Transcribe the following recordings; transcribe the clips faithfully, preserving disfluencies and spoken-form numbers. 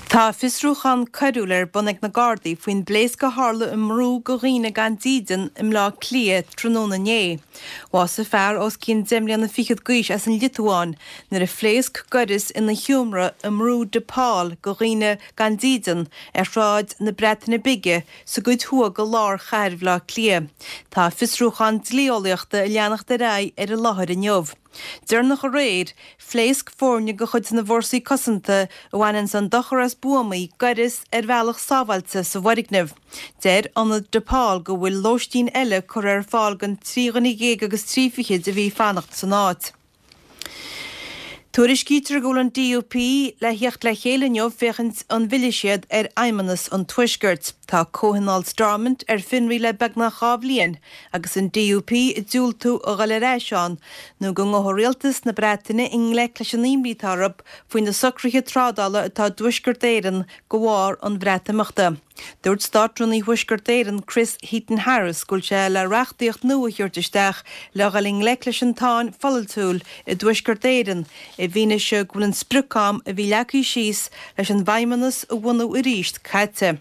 Tá fiosrúchán coiriúil ar bun ag na Gardaí faoin bpléasc a tharla i mbrú go dhaoine gan dídean i mBleá Cliath tráthnóna inné. Bhásaigh fear os cionn deich mbliana fichead d'aois as an Liotuáin nuair a phléasc gaireas ina sheomra i mbrú De Paul go dhaoine gan dídean ar Shráid na Breataine Bige sa gcuid thuaidh go lár chathair Bhaile Átha Cliath. Tá fiosrúchán dlí-eolaíochta ag leanacht ar aghaidh ar an láthair inniu. Deireanach aréir, phléasc foirne de chuid na bhFórsaí Cosanta a bhaineann an dochar as buamaí gaireas ar bhealach sábháilte sa bhfoirgneamh. Deir ionad De Paul go bhfuil lóistín eile curtha ar fáil don trí dhuine dhéag agus trí fichid a bhí ag fanacht san áit. Tuairiscítear go bhfuil an DUP le theacht le chéile inniu féachaint an bhfillfidh siad ar Fheidhmeannas an Tuaiscirt. Tá Comhthionól Stormont ar fionraí le beagnach dhá bhliain agus an DUP ag diúltú a dhul ar ais ann nó go ngabhfaidh rialtas na Breataine i ngleic leis an imní atá orthu faoi na socruithe trádála atá i dTuaisceart Éireann de bharr an Bhreatimeachta. Dúirt Státrúnaí Thuaisceart Éireann Chris Heaton Harris go bhfuil sé le reachtaíocht nua a thabhairt isteach le dhul i ngleic leis an tsáinn pholaitiúil i dTuaisceart Éireann i bhfianaise go bhfuil an sprioc-am a bhí leagtha síos leis an bhFeidhmeannas a bhunú arís caite.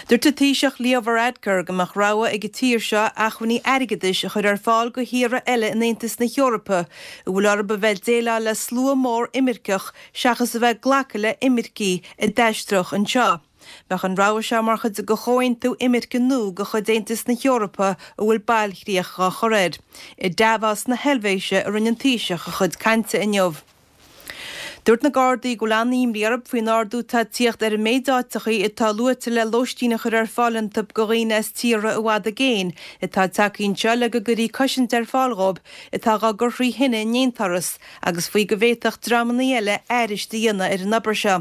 Dúirt an Taoiseach Leo Varadkar go mbeadh rogha ag an tír seo acmhainní airgeadais a chur ar fáil go thíortha eile in Aontas na hEorpa a bhfuil orthu a bheith ag déileáil le slua mór imirceach seachas a bheith ag glacadh le imircigh a d'aisteodh anseo. Bheadh an rogha seo mar chuid de chomhaontú imirce nua de chuid Aontas na hEorpa a bhfuil bailchríoch á chur air. I Davos na hEilvéise a rinne an Taoiseach a chuid cainte inniu. Dúirt na Gardaí go bhfuil an-imní orthu faoin ardú atá ag tíocht ar an méid áiteachaí atá luaite le lóistín a chur ar fáil iontu go dhaoine as tíortha i bhfad i gcéin atá tagtha anseo le go gcuirfí cosaint ar fáil dhóibh atá á gcur thrí thine i ndéantáras agus faoi go bhféadfadh dreamanna eile airist a dhéanamh ar an obair seo.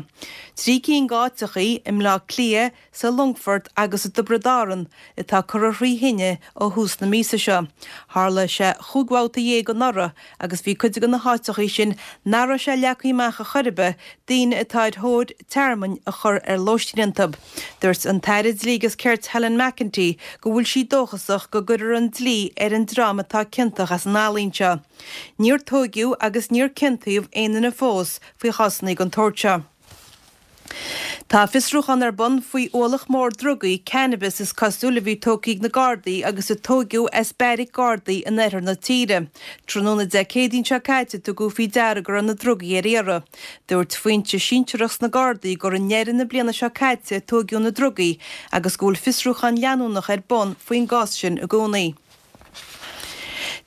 Trí cinn d'áiteachaí i mBleá Cliath, sa Longfort agus i dTiobraid Árann atá curtha thrí thine ó thús na míosa seo. Tharla sé chúig bhabhta dhéag anuraidh agus bhí cuid de na háiteachaí sin nach raibh sé leagtha amach ar chor ar bith daoine atá ar thóir tearmainn a chur ar lóistín iontu. Dúirt an tAire Dlí agus Cirt Helen McEntee go bhfuil sí dóchasach go gcuirfear an dlí ar an dream atá ciontach as an fhaillí seo. Níor tóigeadh agus níor ciontaíodh aon duine fós faoi chásanna den tsórt seo. Tá fiosrúchán ar bun faoi ualach mór drugaí cannabis is cosúil a bhí tógtha ag na Gardaí agus a tóigeadh as beairic Gardaí in oirthear na tíre. Tráthnóna Dé Céadaoin seo caite tugadh faoi deara go raibh na drugaí ar iarraidh. Dúirt foinse sinsearach sna Gardaí gur i ndeireadh na bliana seo caite a tóigeadh na drugaí agus go bhfuil fiosrúchán leanúnach ar bun faoin gcás sin i gcónaí.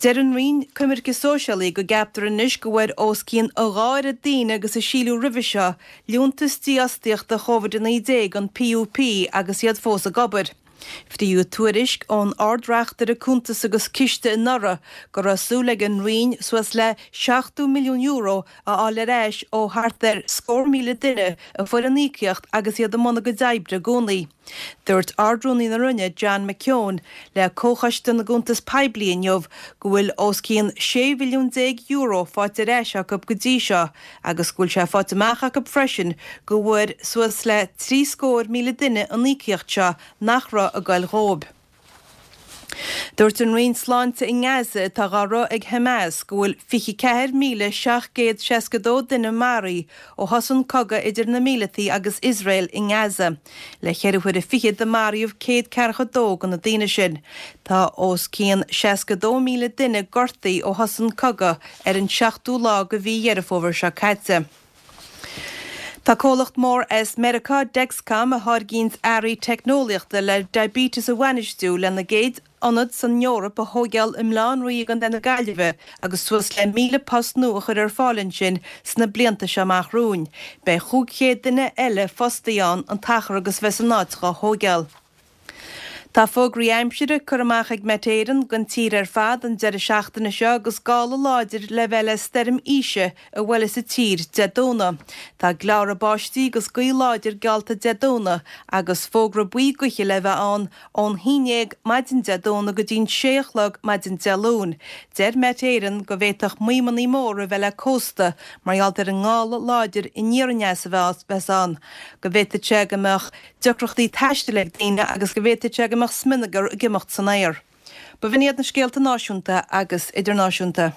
Deir an Roinn Coimirce Sóisialaí go gceaptar anois go bhfuair os cionn a dhá oiread daoine agus a síleadh roimhe seo liúntas dífhostaíochta Covid a naoi déag an PUP agus iad fós ag obair. Fríodh tuairisc ón Ard-Reachtaire Cuntas agus Ciste anuraidh go raibh súil ag an Roinn suas le seachtó milliún euro a fháil ar ais ó thart ar scór míle duine a fuair an íocaíocht agus iad i mbun a gcuid oibre i gcónaí. Dúirt Ard-Rúnaí na Roinne John McKeown le Comhchoiste na gCuntas Poiblí inniu go bhfuil os cionn sé mhilliún déag euro faighte ar ais acu go dtí seo agus go bhfuil sé faighte amach acu freisin go bhfuair suas le trí scór míle duine an íocaíocht seo nach raibh ag goil dhóibh. Dúirt an Roinn Sláinte i nGaza atá á rith ag Hamas go bhfuil fiche ceathair míle seacht gcéad seasca dó duine maraithe ó thosaigh an cogadh idir na míleataí agus Iosrael i nGaza, le ceithre huaire fichead a maraíodh céad ceathracha dó de na daoine sin. Tá os cionn seasca dó míle duine gortaithe ó thosaigh an cogadh ar an seachtú lá de mhí Dheireadh Fómhair seo caite. Tá comhlacht mór as Meiriceá Dexcom a tháirgíonn earraí teicneolaíochta le diabetes a bhainistiú lena gcéad ionad san Eoraip a thógáil i mBaile Átha an Rí i gContae na Gaillimhe agus suas le míle post nua a chur ar fáil ansin sna blianta seo amach romhainn. Beidh chúig chéad duine eile fostaithe ann an t-achar agus bheas an áit á thógáil. Tá fógraí aimsire curtha amach ag Met Éireann don tír ar fad an deireadh seachtaine seo agus gála láidir le bheith le stoirm Isha a bhuailfeas an tír Dé Domhnaigh. Tá gleára báistí agus gaoth láidir geallta Dé Domhnaigh agus fógra buí gaoithe le bheith ann ón haon déag maidin Dé Domhnaigh go dtí'n sé a chlog maidin Dé Luain. Deir Met Éireann go bhféadfadh maidhmeanna móra a bheith le cósta mar gheall ar an ngála láidir aniar aneas a bheas ann, go bhféadfadh sé go mbeadh deacrachtaí taistil ag daoine agus go bhféadfadh sé go mbeadh smionagar ag imeacht san aer. Ba bh'in iad na scéalta náisiúnta agus idirnáisiúnta.